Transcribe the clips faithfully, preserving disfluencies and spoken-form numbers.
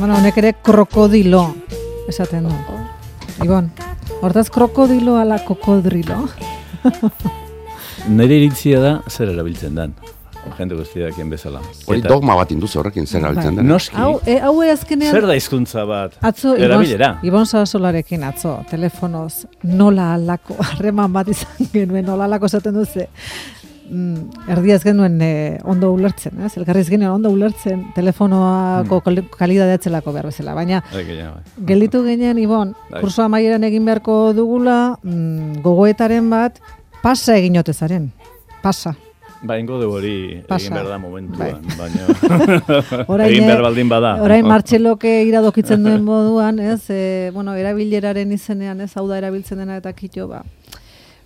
Bueno, honek ere krokodilo esaten du. Ibon, hortaz krokodilo ala kokodrilo? Nire iritzia da zer erabiltzen dan. Jende guztiakien bezala. Hori dogma bat induzu horrekin zer erabiltzen den. Noski. Hau, e, hau azkenean... Zer da hizkuntza bat? Atzo, erabilera. Ibon Sarasolarekin atzo, telefonoz, nola alako, harreman bat izan genuen, nola alako esaten duze. Mm, erdiaz genuen eh, ondo ulertzen, ez? Elkarriz genuen ondo ulertzen telefonoako mm. kalidadea etzelako behar bezala, baina gelditu ginen, Ibon, kurso amaieran egin beharko dugula, mm, gogoetaren bat, pasa egin otezaren, pasa. Ba, ingo dugu hori egin behar da momentuan, bai. baina egin behar baldin bada. Orain Martxeloke iradokitzen duen moduan, ez, e, bueno, erabileraren izenean, ez, hau da erabiltzen dena eta kitxo, ba,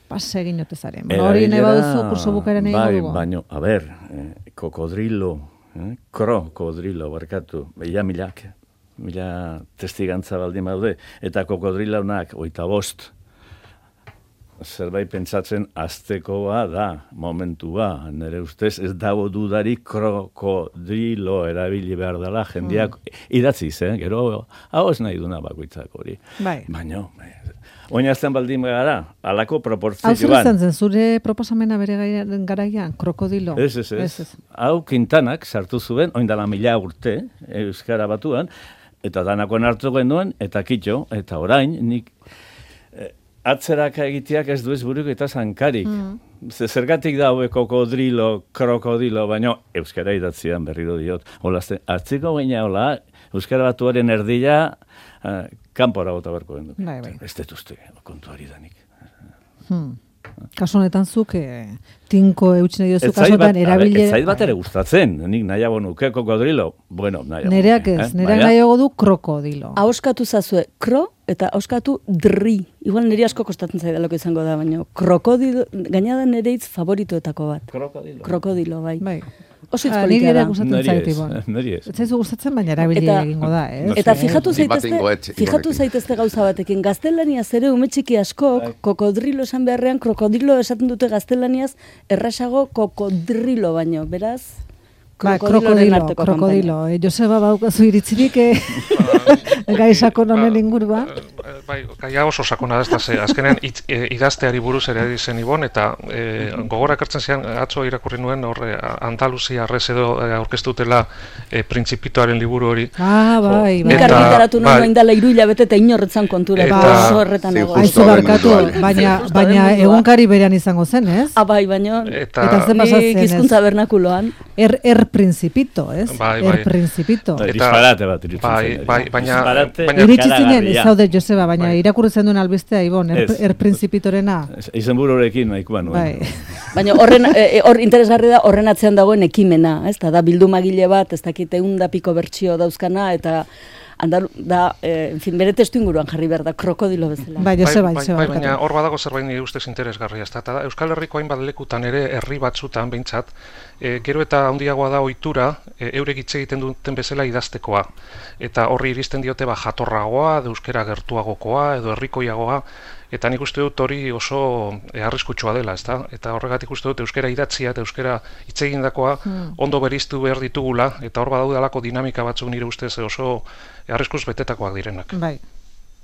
pasa egin otezaren. Bueno, hori nahi baduzu, kurso bukaren egin bai, dugu. Baina, a ber, eh, kokodrilo, eh, krokodrilo, barkatu, ja milak, mila testigantza baldin baude, eta kokodrilonak, oita bost, zerbait pentsatzen aztekoa da, momentua, nire ustez ez dago dudarik krokodrilo erabili behar dela, jendeak mm. idatziz, eh? Gero, hau ez nahi duna bakoitzak hori. Bai. Baina, oinazten baldin gara, alako proportzioan. Hau zer izan zen, zure proposamena bere garaian, krokodilo? Ez, ez, ez. Hau Quintanak sartu zuen, oindala mila urte, Euskara Batuan, eta danakon hartu genuen, eta kitxo, eta orain, nik atzeraka egiteak ez duez buruk eta zankarik. Mm. Zergatik da hauek kokodrilo, krokodilo, baina Euskara idatzian berriro diot. Olazte, atziko gaina hola, Euskara Batuaren erdila, uh, kanpora bota berko gendu. Bai, bai. Ez detuzte, kontuari danik. Hmm. Kasu honetan zuk, eh, tinko eutxine diozu kasotan erabilera... Ez zait bat ere gustatzen, nik nahiago nuke kokodrilo. Bueno, nahiago. Nereak ez, eh? nereak nahiago du krokodilo. Ahoskatu zazue, kro eta ahoskatu dri. Igual nire asko kostatzen zaidaloko izango da, baina krokodilo, gaina da nire hitz favoritoetako bat. Krokodilo. Krokodilo, bai. Bai. Oso Ah, izpolitia da. gustatzen zait, Ibon. Neri ez. Ez zaizu gustatzen, baina erabilera egingo da, ez? Eta fijatu Ni bat zaitezte, egingo et, fijatu Ibonekin. zaitezte gauza batekin. Gaztelaniaz ere ume txiki askok, kokodrilo esan beharrean, krokodilo esaten dute gaztelaniaz, errasago kokodrilo baino, beraz... Ba, krokodiloren krokodilo, arteko krokodilo. Eh, Joseba baukazu iritzirik eh, gai sakon honen inguruan. Bai, gaia oso sakona da, ez da, ze, azkenean itz, e, idazteari buruz ere dizen Ibon, eta e, gogora ekartzen zian, atzo irakurri nuen, horre, Andaluzia arrez edo e, aurkeztutela e, Printzipitoaren liburu hori. Ah, bai, bai. Nik Eta- argitaratu bai. nuen indala hiru hilabete eta inorretzan kontura, Eta- eta oso horretan Sí, nago. justo. Aizu barkatu, munduan. baina, Justo baina den mundua. egunkari berean izango zen, ez? Ah, bai, baina Eta, Eta ze pasatzen, nik ez? hizkuntza bernakuloan. Er, er principito, ez? Bai, Er bai. principito. Bai, Eta- disparate bat irutzen bai, zen. bai, baina- Disparate baina- Iritsi zinen, ikaragarria. ez zaude Joseba, baina Bai. irakurri zen duen albistea, Ibon, er, Ez. er principitorena. Izen bururekin nahikoa nuen. Bai. Baina horren e, hor interesgarri da horren atzean dagoen ekimena, ez da, da bildumagile bat, ez dakit ehun da piko bertsio dauzkana, eta Andalu, da, eh, en fin, bere testu inguruan jarri behar da, krokodilo bezala. Bai, Joseba, bai, Joseba. bai, baina barkatu. hor badago zerbait nire ustez interesgarria, ezta? Eta da, Euskal Herriko hainbat lekutan ere, herri batzutan behintzat, e, gero eta handiagoa da ohitura, e, eurek hitz egiten duten bezala idaztekoa. Eta horri iristen diote ba jatorragoa, edo euskera gertuagokoa, edo herrikoiagoa, eta nik uste dut hori oso e, arriskutsua dela, ezta? Eta horregatik uste dut euskera idatzia eta euskera hitz egindakoa ondo bereiztu behar ditugula, eta hor badaudalako dinamika batzuk nire ustez oso arriskuz betetakoak direnak. Bai,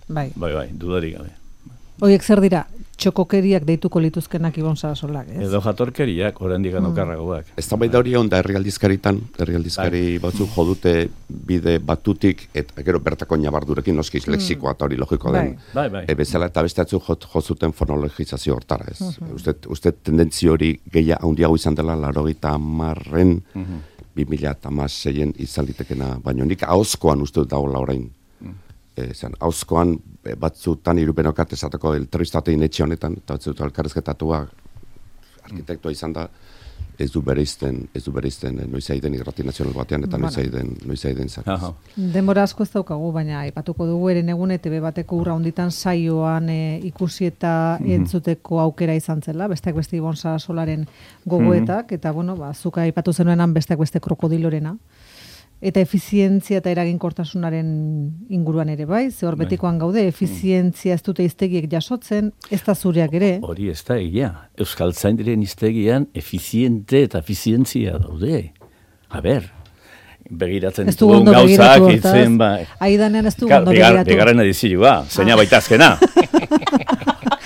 bai. Bai, bai, dudarik gabe. Horiek zer dira, txokokeriak deituko lituzkenak Ibon Sarasolak, ez? Edo jatorkeriak, oraindik Mm. okarragoak. Ez da baita hori onda herrialdizkaritan, herrialdizkari batzuk jodute bide batutik, eta gero bertako nabardurekin noskiz lexikoa eta hori logiko den. Bai, bai. E, bezala eta beste batzuk jo, jo zuten fonologizazio hortara, ez. Uste, uste tendentzio hori gehia handiago izan dela laurogeita hamarren, bi mila hamaseien izan litekena, baina nik ahozkoan uste dut dagoela orain. E, zan, ahozkoan e, batzutan irupenokat esateko elterristatein etxe honetan, eta batzutan elkarrezketatua arkitektoa izan da, ez du bereizten, ez du bereizten e, noiz aiden irrati nazional batean, eta noiz aiden, noiz aiden zakaz. Aha. Denbora asko ez daukagu, baina aipatuko dugu eren egun E T B bateko urra honditan saioan e, ikusi eta entzuteko aukera izan zela, besteak beste Ibon Sarasolaren gogoetak, eta bueno, ba, zuka aipatu zenuenan besteak beste krokodilorena. Eta efizientzia eta eraginkortasunaren inguruan ere bai, ze hor betikoan gaude, efizientzia ez dute hiztegiek jasotzen, ez da zureak ere. Hori ez da egia. Euskaltzaindiren hiztegian efiziente eta efizientzia daude. A ber, begiratzen Ez du ditugun ondo begiratu gauzak, hortaz. itzen, bai. Aidanean ez du Ka- ondo bigar- begiratu. Bigarren edizioa, zeina baita azkena.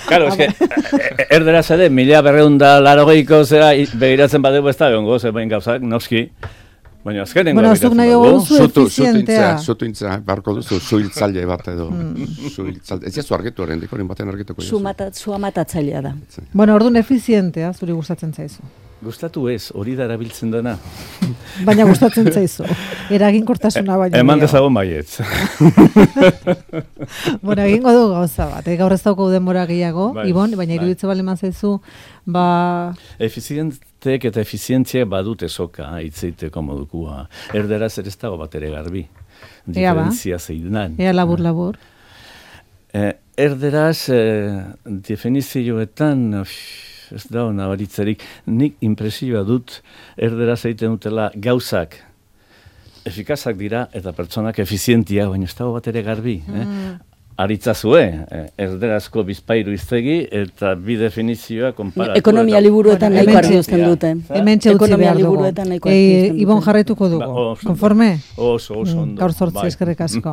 Claro, es que erderaz ere, mila berreunda larogeiko zera i- begiratzen badegu ez da egongo, zerbait gauzak, noski. Baina azkenengo Bueno, zuk nahi badugu. dugu zu Zutu, efizientea. zutuintzea, zutuintzea, barko duzu, zuhiltzaile bat edo. Zuhiltzaile. Ez jazu argitu horrendik, horin baten argituko Zu mata, zua matatzailea da. Bueno, orduan efizientea, zuri gustatzen zaizu. Gustatu ez, hori da erabiltzen dena. Baina gustatzen zaizu. Eraginkortasuna baina. Eman gehiago. dezagun baietz. Bueno, egingo du gauza bat. Eh? Gaur ez dauko denbora gehiago, Bai, Ibon, baina bai. iruditzen bale zaizu, ba... Efizientek eta efizientziak badute soka, hitzeiteko modukua. Erderaz ere ez dago bat ere garbi. Ea ba. Diferentzia zeinan. Ea labur-labur. Eh, erderaz, eh, definizioetan, uf, ez da nabaritzerik, nik impresioa dut erderaz egiten dutela gauzak efikazak dira eta pertsonak efizientia, baina ez dago bat ere garbi. Eh? Aritzazue, eh, erderazko bizpairu iztegi eta bi definizioa konparatu. Ekonomia eta- liburuetan Bueno, nahiko hementxe- argi uzten dute. Hemen txeutzi Ekonomia behar dugu. liburuetan nahiko Eh, argi uzten Ibon dute. jarraituko dugu. Ba, oso ondo. Konforme? Oso, oso ondo. Gaur zortzi bai. eskerrik asko.